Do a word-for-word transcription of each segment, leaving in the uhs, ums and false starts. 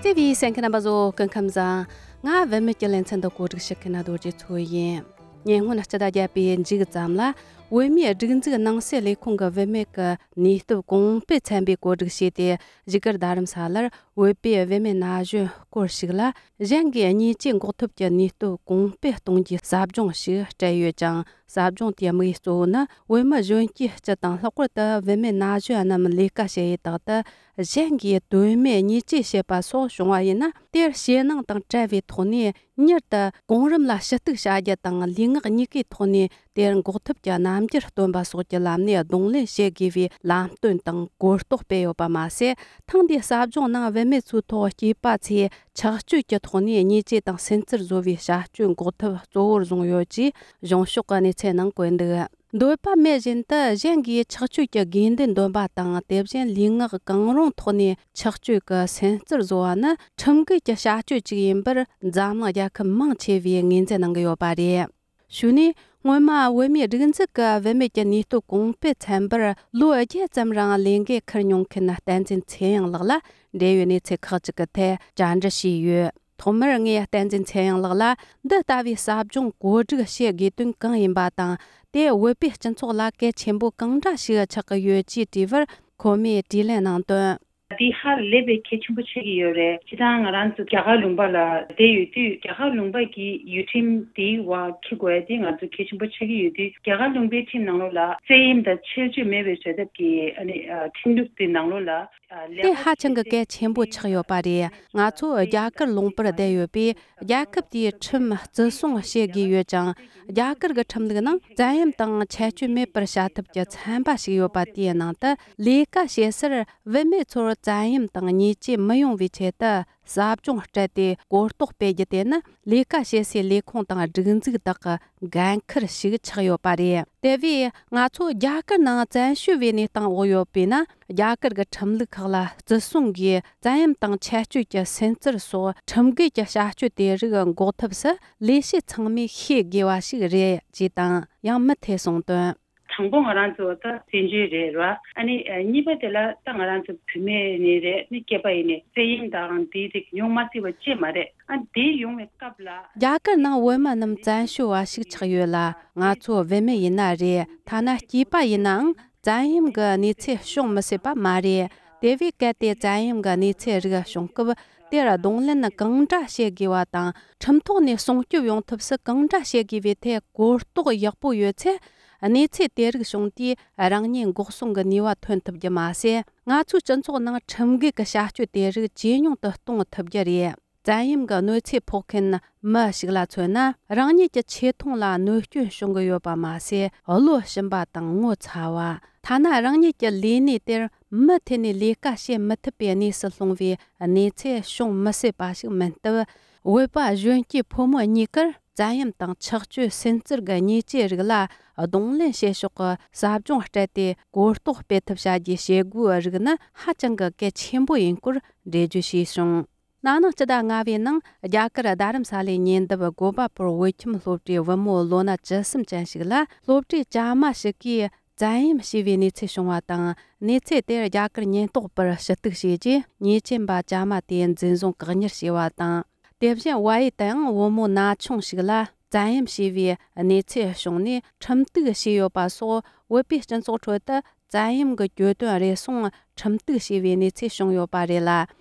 དེ་བས་གསན་མཁན་རྣམ་པ་ཚོ་སྐུ་ཁམས་བཟང་། ང་བུད་མེད་ཀྱི་ལེ་ཚན་དུ་གོ་སྒྲིག་ཞུ་མཁན་རྡོ་རྗེ་མཚོ་ཡིན། ཉེ་སྔོན་སྤྱི་ཟླ་བརྒྱད་པའི་མཇུག་ཙམ་ལ། བོད་མིའི་སྒྲིག་འཛུགས་ནང་སྲིད་ལས་ཁུངས་ཀྱི་བུད་མེད་ཀྱི་ནུས་སྟོབས་གོང་སྤེལ་ཚན་པས་གོ་སྒྲིག་བྱས་ཏེ། བཞུགས་སྒར་རྡ་རམ་ས་ལར་བོད་པའི་བུད་མེད་ན་གཞོན་སྐོར་ཞིག་ལ། གཞན་གྱིས་བརྙས་བཅོས་འགོག་ཐབས་ཀྱི་ནུས་སྟོབས་གོང་སྤེལ་གཏོང་རྒྱུའི་ཟབ་སྦྱོང་ཞིག་སྤྲད་ཡོད་ཅིང་། ཟབ་སྦྱོང་དེའི་དམིགས་ཡུལ་གཙོ་བོ་ནི། བོད་མི་གཞོན་སྐྱེས་སྤྱི་དང་། ལྷག་པར་དུ་བུད་མེད་ན་གཞོན་རྣམས་ལས་ཀ་བྱེད་ཡུལ་དག་ཏུ། གཞན་གྱིས་དོན་མེད་བརྙས་བཅོས་བྱེད་པ་སོགས་བྱུང་བ་ཡིན་ན། དེར་ཞེད་སྣང་དང་བྲལ་བའི་ཐོག་ནས། མྱུར་དུ་གོང་རིམ་ལ་ཞུ་གཏུག་བྱ་རྒྱུ་དང་། ལུས་ངག་གཉིས་ཀའི་ཐོག་ནས་དེར་འགོག་ཐབས་ཀྱི་རྣམ་འགྱུར་སྟོན་པ་སོགས་ཀྱི་ལམ་ནས་གདོང་ལེན་བྱེད་དགོས་པའི་ལམ་སྟོན་དང་གོ་རྟོགས་སྤེལ་ཡོད་པ་མ་ཟད། ཐེངས་འདིའི་ཟབ་སྦྱོང་ནང་བུད་མེད་ཚོའི་ཐོག་སྐྱེས་པ་ཚོས་ཆགས་སྤྱོད་ཀྱི་ཐོག་ནས་བརྙས་བཅོས་དང་སུན་གཙེར་བཟོ་བའི་བྱ་སྤྱོད་འགོག་ཐབས་གཙོ་བོར་བཟུང་ཡོད་ཅེས་གཞུང་ཕྱོགས་ཀྱི་གནས་ཚུལ་ནང་བཀོད་འདུག། འདོད་པ་མེད་བཞིན་དུ་གཞན་གྱིས་ཆགས་སྤྱོད་ཀྱི་དགོས་འདུན་འདོན་པ་དང་། དེ་བཞིན་ལུས་ངག་གང་རུང་ཐོག་ནས་ཆགས་སྤྱོད་ཀྱི་སུན་གཙེར་བཟོ་བ་ནི་ཁྲིམས་འགལ་གྱི་བྱ་སྤྱོད་ཅིག་ཡིན་པར། འཛམ་གླིང་རྒྱལ་ཁབ་མང་ཆེ་བས་ངོས་འཛིན་གནང་གི་ཡོད་པ་རེད། ཞུས་ནས། སྔོན་མ་བོད་མིའི་སྒྲིག་འཛུགས་ཀྱི་བུད་མེད་ཀྱི་ནུས་སྟོབས་གོང་སྤེལ་ཚན་པར་ལོ་བརྒྱད་ཙམ་རིང་ལས་འགན་འཁུར་མྱོང་མཁན་བསྟན་འཛིན་ཚེ་དབྱངས་ལགས་ལ་འབྲེལ་ཡོད་གནས་ཚུལ་ཁག་ཅིག་གི་ཐད་བཅར་འདྲི་བྱས་ཡོད། ཐོག་མར་ངས་བསྟན་འཛིན་ཚེ་དབྱངས་ལགས་ལ་འདི་ལྟ་བུའི་ཟབ་སྦྱོང་གོ་སྒྲིག་བྱེད་དགོས་དོན་གང་ཡིན་པ་དང་། དེས་བོད་པའི་སྤྱི་ཚོགས་ལ་གལ་ཆེན་པོ་གང་འདྲ་ཞིག་ཆགས་ཀྱི་ཡོད་ཅེས་དྲིས་པར། ཁོ་མོས་དྲིས་ལན་གནང་དོན། འདི་ཧ་ལས་པའི་གལ་ཆེན་པོ་ཆགས་ཀྱི་ཡོད་རེད། སྤྱིར་བཏང་ང་རང་ཚོ་རྒྱ་གར་ལུང་པ་ལ་བསྡད་ཡོད་དུས། རྒྱ་གར་ལུང་པ་གི་ཡུལ་ཁྲིམས་དེའི་འོག་འཁྱེར་དགོས་ཡ་དེ་ང་ཚོ་གལ་ཆེན་པོ་ཆགས་ཀྱི་ཡོད་དུས། རྒྱ་གར་ལུང་པའི་ཁྲིམས་ནང་ལོགས་ལ་བཙན་གཡེམ་དང་ཆེད་གཅོད་མེད་པའི་བྱ་ཐབས་ཀྱི་ཨ་ནི་ཨ་ཁྲིམས་ལུགས་དེ་ནང་ལོགས་ལ། ཨ་ལས་དེ་ཧ་ཅང་གི་གལ་ཆེན་པོ་ཆགས་ཡོད་པ་རེད། ང་ཚོ་རྒྱ་གར་ལུང་པར་བསྡད་ཡོད་པས། རྒྱལ་ཁབ་དེའི་ཁྲིམས་བརྩི་སྲུང་བྱེད་དགོས་ཡོད་ཅིང་། རྒྱ་གར་གྱི་ཁྲིམས་ལུགས་ནང་བཙན་གཡེམ་དང་ཆད་གཅོད་མེད་པར་བྱ་ཐབས་ཀྱི་ཚན་པ་ཞིག་ཡོད་པ། དེའི་ནང་དུ་ལས་ཀ་བྱེད་སར་བུད་མེད་ཚོར་བཙན་གཡེམ་དང་བརྙས་བཅོས་མི་ཡོང་བའི་ཆེད་དུ་ཟབ་སྦྱོང་སྤྲད་དེ་གོ་རྟོགས་སྤེལ་རྒྱུ་དེ་ནི་ལས་ཀ་བྱེད་སའི་ལས་ཁུངས་དང་སྒྲིག་འཛུགས་དག་གི་འགན་འཁུར་ཞིག་ཆགས་ཡོད་པ་རེད། དེ་བས་ང་ཚོ་རྒྱ་གར་ནང་བཙན་བྱོལ་བའི་གནས་སྟངས་འོག་ཡོད་པས་ན། རྒྱ་གར་གྱི་ཁྲིམས་ལུགས་ཁག་ལ་བརྩི་སྲུང་གིས་བཙན་གཡེམ་དང་ཆད་གཅོད་ཀྱི་སུན་གཙེར་སོགས་ཁྲིམས་འགལ་གྱི་བྱ་སྤྱོད་དེ་རིགས་འགོག་ཐབས་སུ་ལས་བྱེད་ཚང་མས་ཤེས་དགོས་པ་ཞིག་རེད་ཅེས་དང་། ཡང་མུ་མཐུད་གསུངས་དོན། དང་པོ་ང་རང་ཚོ་ད་བཙན་བྱོལ་རེད་ར། ཨ་ནི་ཨ་གཉིས་པ་དེ་ལ་ད་ང་རང་ཚོ་བུད་མེད་ནས་རེད། ནི་སྐྱེས་པ་ཡིན་ནས་བཙན་གཡེམ་དང་དེའི་རིགས་ཡོང་མ་སྲིད་པ་ཅིག་མ་རེད། ཨ་དེ་ཡོང་བའི་སྐབས་ལ། རྒྱ་གར་ནང་བོད་མི་རྣམས་བཙན་བྱོལ་བ་ཞིག་ཆགས་ཡོད་ལ། ང་ཚོ་བུད་མེད་ཡིན་ན་རེད། ཐ་ན་སྐྱེས་པ་ཡིན་ནའང་བཙན་གཡེམ་གྱི་གནས་ཚུལ་བྱུང་མི་སྲིད་པ་མ་རེད། དེ་བས་གལ་ཏེ་བཙན་གཡེམ་གྱི་གནས་ཚུལ་རིགས་བྱུང་སྐབས། དེར་གདོང་ལེན་གང་འདྲ་བྱེད་དགོས་པ་དང་། ཁྲིམས་ཐོག་ནས་སྲུང་སྐྱོབ་ཡོང་ཐབས་སུ་གང་འདྲ་བྱེད་དགོས་པའི་ཐད་གོ་རྟོགས་ཡག་པོ་ཡོད་ཚེ། གནས་ཚུལ་དེ་རིགས་བྱུང་དུས་རང་ཉིད་འགོག་སྲུང་གི་ནུས་པ་ཐོན་ཐུབ་རྒྱུ་མ་ཟད། ང་ཚོའི་སྤྱི་ཚོགས་ནང་ཁྲིམས་འགལ་གྱི་བྱ་སྤྱོད་དེ་རིགས་ཇེ་ཉུང་དུ་གཏོང་ཐུབ་རྒྱུ་རེད། བཙན་གཡེམ་གྱི་གནོད་འཚེ་ཕོག་མཁན་མི་ཞིག་ལ་མཚོན་ན། རང་ཉིད་ཀྱི་ཆེ་མཐོང་ལ་གནོད་སྐྱོན་བྱུང་གི་ཡོད་པ་མ་ཟད། བློ་ཞུམ་པ་དང་ངོ་ཚ་བ། ཐ་ན་རང་ཉིད་ཀྱི་ལས་གནས་དེར་མུ་མཐུད་ནས་ལས་ཀ་བྱེད་མི་ཐུབ་པའི་གནས་སུ་ལྷུང་བའི་གནས་ཚུལ་བྱུང་མི་སྲིད་པ་ཞིག་མིན་སྟབས། བོད་པ་གཞོན་སྐྱེས་ཕོ་མོ་གཉིས་ཀར་བཙན་གཡེམ་དང་ཆགས་སྤྱོད་སུན་གཙེར་གྱི་ཉེས་ཅན་རིགས་ལ་གདོང་ལེན་བྱེད་ཕྱོགས་ཀྱི་ཟབ་སྦྱོང་སྤྲད་དེ་གོ་རྟོགས་སྤེལ་ཐབས་བྱ་རྒྱུའི་བྱེད་སྒོའི་རིགས་ནི་ཧ་ཅང་གི་གལ་ཆེན་པོ་ཡིན་སྐོར་འགྲེལ་བརྗོད་བྱས་བྱུང་། ན་ནིང་སྤྱི་ཟླ་ལྔ་པའི་ནང་རྒྱ་གར་རྡ་རམ་ས་ལའི་ཉེ་འདབས་གོ་པ་པུར་བོད་ཁྱིམ་སློབ་གྲྭའི་བུ་མོ་ལོ་ན་བཅུ་གསུམ་ཅན་ཞིག་ལ་སློབ་གྲྭའི་ཇ་མ་ཞིག་གིས་བཙན་གཡེམ་བྱས་པའི་གནས་ཚུལ་བྱུང་བ་དང་། གནས་ཚུལ་དེར་རྒྱ་གར་ཉེན་རྟོག་པར་ཞུ་གཏུག་བྱས་རྗེས། ཉེས་ཅན་པ་ཇ་མ་དེ་འཛིན་བཟུང་བཀག་ཉར་བྱས་པ་དང་། དེ་བཞིན་བལ་ཡུལ་དུའང་བུ་མོ་ན་ཆུང་ཞིག་ལ་བཙན་གཡེམ་བྱས་པའི་གནས་ཚུལ་བྱུང་ནས་ཁྲིམས་གཏུག་བྱས་ཡོད་པ་སོགས། བོད་པའི་སྤྱི་ཚོགས་ཁྲོད་དུ་བཙན་གཡེམ་གྱི་གྱོད་དོན་རེ་ཟུང་ཁྲིམས་གཏུག་བྱས་པའི་གནས་ཚུལ་བྱུང་ཡོད་པ་རེད་ལ།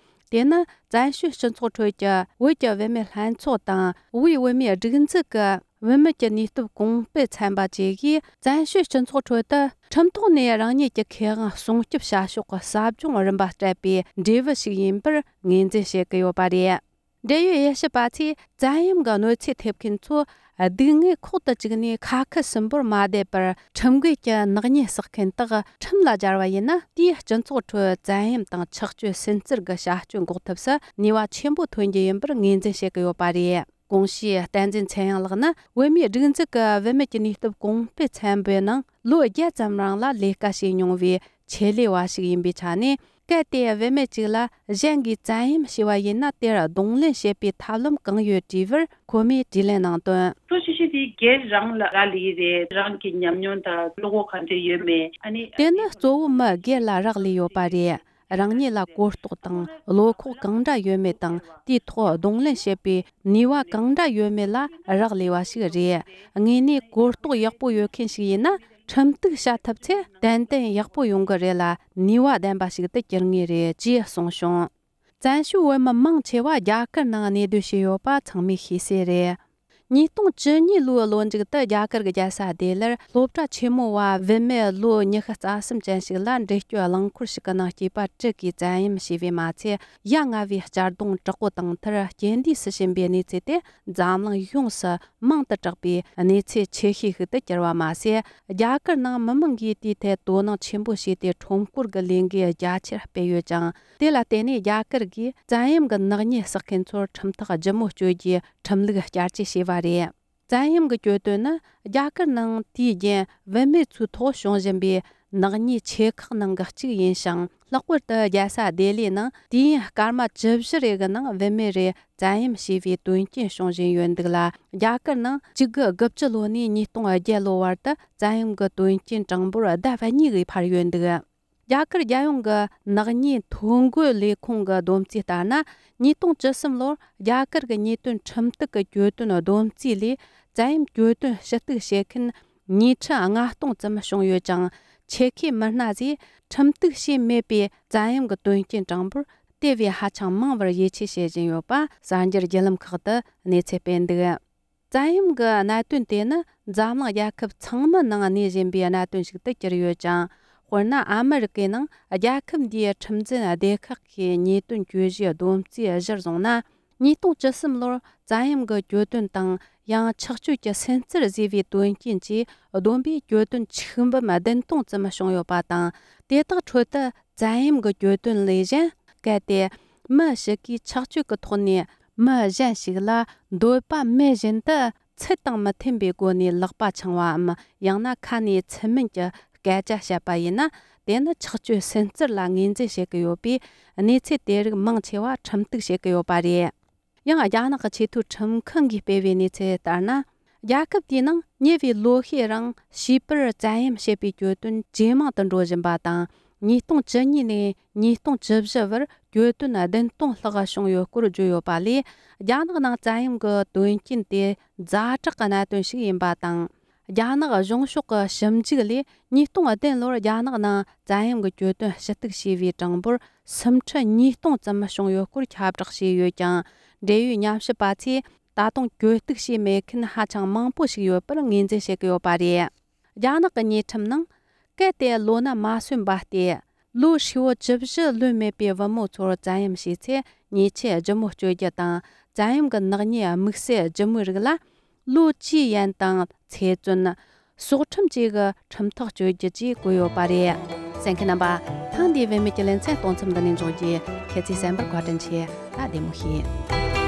དེ་ནི་བཙན་བྱོལ་སྤྱི་ཚོགས་ཁྲོད་ཀྱི་བོད་ཀྱི་བུད་མེད་ལྷན་ཚོགས་དང་། དབུས་བོད་མིའི་སྒྲིག་འཛུགས་ཀྱི་བུད་མེད་ཀྱི་ནུས་སྟོབས་གོང་སྤེལ་ཚན་པ་བཅས་ཀྱིས། བཙན་བྱོལ་སྤྱི་ཚོགས་ཁྲོད་དུ་ཁྲིམས་ཐོག་ནས་རང་ཉིད་ཀྱི་ཁེ་དབང་སྲུང་སྐྱོབ་བྱ་ཕྱོགས་ཀྱི་ཟབ་སྦྱོང་རིམ་པ་སྤྲད་པའི་འབྲས་བུ་ཞིག་ཡིན་པར་ངོས་འཛིན་བྱེད་ཀྱི་ཡོད་པ་རེད། འབྲེལ་ཡོད་དབྱེ་ཞིབ་པ་ཚོས། བཙན་གཡེམ་གྱི་གནོད་འཚེ་ཐེབས་མཁན་ཚོ་སྡུག་བསྔལ་ཁོག་ཏུ་བཅུག་ནས་ཁ་ཁུ་སིམ་པོར་མ་བསྡད་པར། ཁྲིམས་འགལ་གྱི་ནག་ཉེས་བསགས་མཁན་དག་ཁྲིམས་ལ་སྦྱར་བ་ཡིན་ན། དེས་སྤྱི་ཚོགས་ཁྲོད་བཙན་གཡེམ་དང་ཆགས་སྤྱོད་སུན་གཙེར་གྱི་བྱ་སྤྱོད་འགོག་ཐབས་སུ་ནུས་པ་ཆེན་པོ་ཐོན་རྒྱུ་ཡིན་པར་ངོས་འཛིན་བྱེད་ཀྱི་ཡོད་པ་རེད། གོང་ཞུས་བསྟན་འཛིན་ཚེ་དབྱངས་ལགས་ནི། བོད་མིའི་སྒྲིག་འཛུགས་ཀྱི་བུད་མེད་ཀྱི་ནུས་སྟོབས་གོང་སྤེལ་ཚན་པའི་ནང་ལོ་བརྒྱད་ཙམ་རིང་ལ་ལས་ཀ་བྱས་མྱོང་བའི་ཆེད་ལས་པ་ཞིག་ཡིན་པའི་ཆ་ནས། གལ་ཏེ་བུད་མེད་ཅིག་ལ་གཞན་གྱིས་བཙན་གཡེམ་བྱས་པ་ཡིན་ན། དེར་གདོང་ལེན་བྱེད་པའི་ཐབས་ལམ་གང་ཡོད་དྲིས་པར། ཁོ་མོས་དྲིས་ལན་གནང་དོན། གཙོ་ཆེ་ཤོས་དེ་སྒེར་རང་ལ་རག་ལས་ཀྱི་རེད། རང་གི་ཉམས་མྱོང་དང་བློ་ཁོག་ག་འདྲ་ཡོད་མེད། ཨ་ནི། དེ་ནི་གཙོ་བོ་མི་སྒེར་ལ་རག་ལས་ཡོད་པ་རེད། རང་ཉིད་ལ་གོ་རྟོགས་དང་བློ་ཁོག་གང་འདྲ་ཡོད་མེད་དང་དེའི་ཐོག་གདོང་ལེན་བྱེད་པའི་ནུས་པ་གང་འདྲ་ཡོད་མེད་ལ་རག་ལས་པ་ཞིག་རེད། དངོས་གནས་གོ་རྟོགས་ཡག་པོ་ཡོད་མཁན་ཞིག་ཡིན་ན། ཁྲིམས་གཏུག་བྱ་ཐུབ་ཚེ་ཏན་ཏན་ཡག་པོ་ཡོང་གི་རེད་ལ། ནུས་པ་ལྡན་པ་ཞིག་ཏུ་འགྱུར་ངེས་རེད་ཅེས་གསུངས་བྱུང་། བཙན་བྱོལ་བོད་མི་མང་ཆེ་བ་རྒྱ་གར་ནང་གནས་སྡོད་བྱས་ཡོད་པ་ཚང་མས་ཤེས་གསལ་རེད། ཉིས་སྟོང་བཅུ་གཉིས་ལོའི་ལོ་མཇུག་ཏུ་རྒྱ་གར་གྱི་རྒྱལ་ས་ལྡི་ལིར་སློབ་གྲྭ་ཆེན་མོ་བ་བུད་མེད་ལོ་ཉི་ཤུ་རྩ་གསུམ་ཅན་ཞིག་ལ་འདྲེ་སྐྱོབ་རླངས་འཁོར་ཞིག་གི་ནང་སྐྱེས་པ་དྲུག་གིས་བཙན་གཡེམ་བྱས་པས་མ་ཚད། ཡ་ང་བའི་གཅར་རྡུང་དྲག་པོ་བཏང་མཐར་རྐྱེན་འདས་སུ་ཕྱིན་པའི་གནས་ཚུལ་དེ་འཛམ་གླིང་ཡོངས་སུ་མང་དུ་གྲགས་པའི་གནས་ཚུལ་ཆེ་ཤོས་ཤིག་ཏུ་གྱུར་བ་མ་ཟད། རྒྱ་གར་ནང་མི་མང་གིས་དེའི་ཐད་དོ་སྣང་ཆེན་པོ་བྱས་ཏེ་ཁྲོམ་སྐོར་གྱི་ལས་འགུལ་རྒྱ་ཆེར་སྤེལ་ཡོད་ཅིང་། དེ་ལ་བརྟེན་ནས་རྒྱ་གར་གྱིས་བཙན་གཡེམ་གྱི་ནག་ཉེས་བསགས་མཁན་ཚོར་ཁྲིམས་ཐག་ལྗིད་མོ་གཅོད་རྒྱུའི་ཁྲིམས་ལུགས་བསྐྱར་བཅོས་བྱས་པ་རེད། བཙན་གཡེམ་གྱི་གྱོད་དོན་ནི་རྒྱ་གར་ནང་དུས་རྒྱུན་བུད་མེད་ཚོའི་ཐོག་བྱུང་བཞིན་པའི་ནག་ཉེས་ཆེ་ཁག་ནང་གི་གཅིག་ཡིན་ཞིང་། ལྷག་པར་དུ་རྒྱལ་ས་ལྡི་ལིའི་ནང་དུས་ཡུན་སྐར་མ་བཅུ་བཞི་རེ་གི་ནང་བུད་མེད་རེ་བཙན་གཡེམ་བྱས་པའི་དོན་རྐྱེན་བྱུང་བཞིན་ཡོད་འདུག་ལ། རྒྱ་གར་ནང་གཅིག་དགུ་དགུ་བཅུ་ལོ་ནས་ཉིས་སྟོང་བརྒྱད་ལོ་བར་དུ་བཙན་གཡེམ་གྱི་དོན་རྐྱེན་གྲངས་འབོར་ཟླ་གཉིས་ཀྱིས་འཕར་ཡོད་འདུག་རྒྱ་གར་རྒྱལ་ཡོངས་ཀྱི་ནག་ཉེས་ཐོ་འགོད་ལས་ཁུངས་ཀྱི་བསྡོམས་རྩིས་ལྟར་ན། ཉིས་སྟོང་བཅུ་གསུམ་ལོར་རྒྱ་གར་གྱི་ཉེས་དོན་ཁྲིམས་གཏུག་གི་གྱོད་དོན་བསྡོམས་རྩིས་ལས། བཙན་གཡེམ་གྱོད་དོན་ཞུ་གཏུག་བྱེད་མཁན་ཉིས་ཁྲི་ལྔ་སྟོང་ཙམ་བྱུང་ཡོད་ཅིང་། ཆེད་མཁས་མི་སྣ་ཚོས་ཁྲིམས་གཏུག་བྱས་མེད་པའི་བཙན་གཡེམ་གྱི་དོན་རྐྱེན་གྲངས་འབོར་དེ་བས་ཧ་ཅང་མང་བར་ཡིད་ཆེས་བྱེད་བཞིན་ཡོད་པ་གསར་འགྱུར་བརྒྱུད་ལམ་ཁག་ཏུ་གནས་ཚུལ་སྤེལ་འདུག་བཙན་གཡེམ་གྱི་གནད་དོན་དེ་ནི་འཛམ་གླིང་རྒྱལ་ཁབ་ཚང་མའི་ནང་གནས་བཞིན་པའི་གནད་དོན་ཞིག་ཏུ་གྱུར་ཡོད་ཅིང་། དཔེར་ན། ཨ་མི་རི་ཀའི་ནང་རྒྱལ་ཁབ་འདིའི་ཁྲིམས་འཛིན་སྡེ་ཁག་གིས་ཉེས་དོན་གྱོད་གཞིའི་བསྡོམས་རྩིས་གཞིར་བཟུང་ན། ཉིས་སྟོང་བཅུ་གསུམ་ལོར་བཙན་གཡེམ་གྱི་གྱོད་དོན་དང་། ཡང་ཆགས་སྤྱོད་ཀྱི་སུན་གཙེར་བཟོས་པའི་དོན་རྐྱེན་གྱིས་བསྡོམས་པས་གྱོད་དོན་ཆིག་འབུམ་བདུན་སྟོང་ཙམ་བྱུང་ཡོད་པ་དང་། དེ་དག་ཁྲོད་དུ་བཙན་གཡེམ་གྱི་གྱོད་དོན་ལས་གཞན། གལ་ཏེ་མི་ཞིག་གིས་ཆགས་སྤྱོད་ཀྱི་ཐོག་ནས་མི་གཞན་ཞིག་ལ་འདོད་པ་མེད་བཞིན་དུ་ཚུལ་དང་མི་མཐུན་པའི་སྒོ་ནས་ལག་པ་འཆང་བའམ། ཡང་ན་ཁ་ནས་ཚུལ་མིན་གྱི་སྐད་ཆ་བཤད་པ་ཡིན་ན། དེ་ནི་ཆགས་སྤྱོད་སུན་གཙེར་ལ་ངོས་འཛིན་བྱེད་ཀྱི་ཡོད་པས། གནས་ཚུལ་དེ་རིགས་མང་ཆེ་བ་ཁྲིམས་གཏུག་བྱེད་ཀྱི་ཡོད་པ་རེད། ཡང་རྒྱ་ནག་གི་ཆེས་མཐོའི་ཁྲིམས་ཁང་གིས་སྤེལ་བའི་གནས་ཚུལ་ལྟར་ན། རྒྱལ་ཁབ་དེའི་ནང་ཉེ་བའི་ལོ་ཤས་རིང་བྱིས་པར་བཙན་གཡེམ་བྱེད་པའི་གྱོད་དོན་ཇེ་མང་དུ་འགྲོ་བཞིན་པ་དང་། ཉིས་སྟོང་བཅུ་གཉིས་ནས་ཉིས་སྟོང་བཅུ་བཞི་བར་གྱོད་དོན་བདུན་སྟོང་ལྷག་བྱུང་ཡོད་སྐོར་བརྗོད་ཡོད་པ་ལས། རྒྱ་ནག་ནང་བཙན་གཡེམ་གྱི་དོན་རྐྱེན་དེ་ཛ་དྲག་གི་གནད་དོན་ཞིག་ཡིན་པ་དང་། རྒྱ་ནག་གཞུང་ཕྱོགས་ཀྱི་ཞིབ་འཇུག་ལས། ཉིས་སྟོང་བདུན་ལོར་རྒྱ་ནག་ནང་བཙན་གཡེམ་གྱི་གྱོད་དོན་ཞུ་གཏུག་བྱས་པའི་གྲངས་འབོར་སུམ་ཁྲི་ཉིས་སྟོང་ཙམ་བྱུང་ཡོད་སྐོར་ཁྱབ་བསྒྲགས་བྱས་ཡོད་ཀྱང་། འབྲེལ་ཡོད་ཉམས་ཞིབ་པ་ཚོས་ད་དུང་གྱོད་གཏུག་བྱས་མེད་མཁན་ཧ་ཅང་མང་པོ་ཞིག་ཡོད་པར་ངོས་འཛིན་བྱེད་ཀྱི་ཡོད་པ་རེད། རྒྱ་ནག་གི་ཉེས་ཁྲིམས་ནང་། གལ་ཏེ་ལོ་ན་མ་སོན་པ་སྟེ། ལོ་ཧྲིལ་བོ་བཅུ་བཞི་ལོན་མེད་པའི་བུ་མོ་ཚོར་བཙན་གཡེམ་བྱས་ཚེ། ཉེས་ཆད་ལྗིད་མོ་གཅོད་རྒྱུ་དང་། བཙན་གཡེམ་གྱི་ནག་ཉེས་དམིགས་བསལ་ལྗིད་མོའི་རིགས་ལ། ལོ་བཅུའི་ཡན་དང་ཚེ་བཙོན། སྲོག་ཁྲིམས་བཅས་ཀྱི་ཁྲིམས་ཐག་གཅོད་རྒྱུ་བཅས་བཀོད་ཡོད་པ་རེད། གསན་མཁན་རྣམ་པ། ཐེངས་འདིའི་བུད་མེད་ཀྱི་ལེ་ཚན་གཏོང་མཚམས་འདི་ནས་འཇོག་རྒྱུ། ཁྱེད་ཚོས་གསན་པར་བཀའ་དྲིན་ཆེ། ད་བདེ་མོ་བྱོས།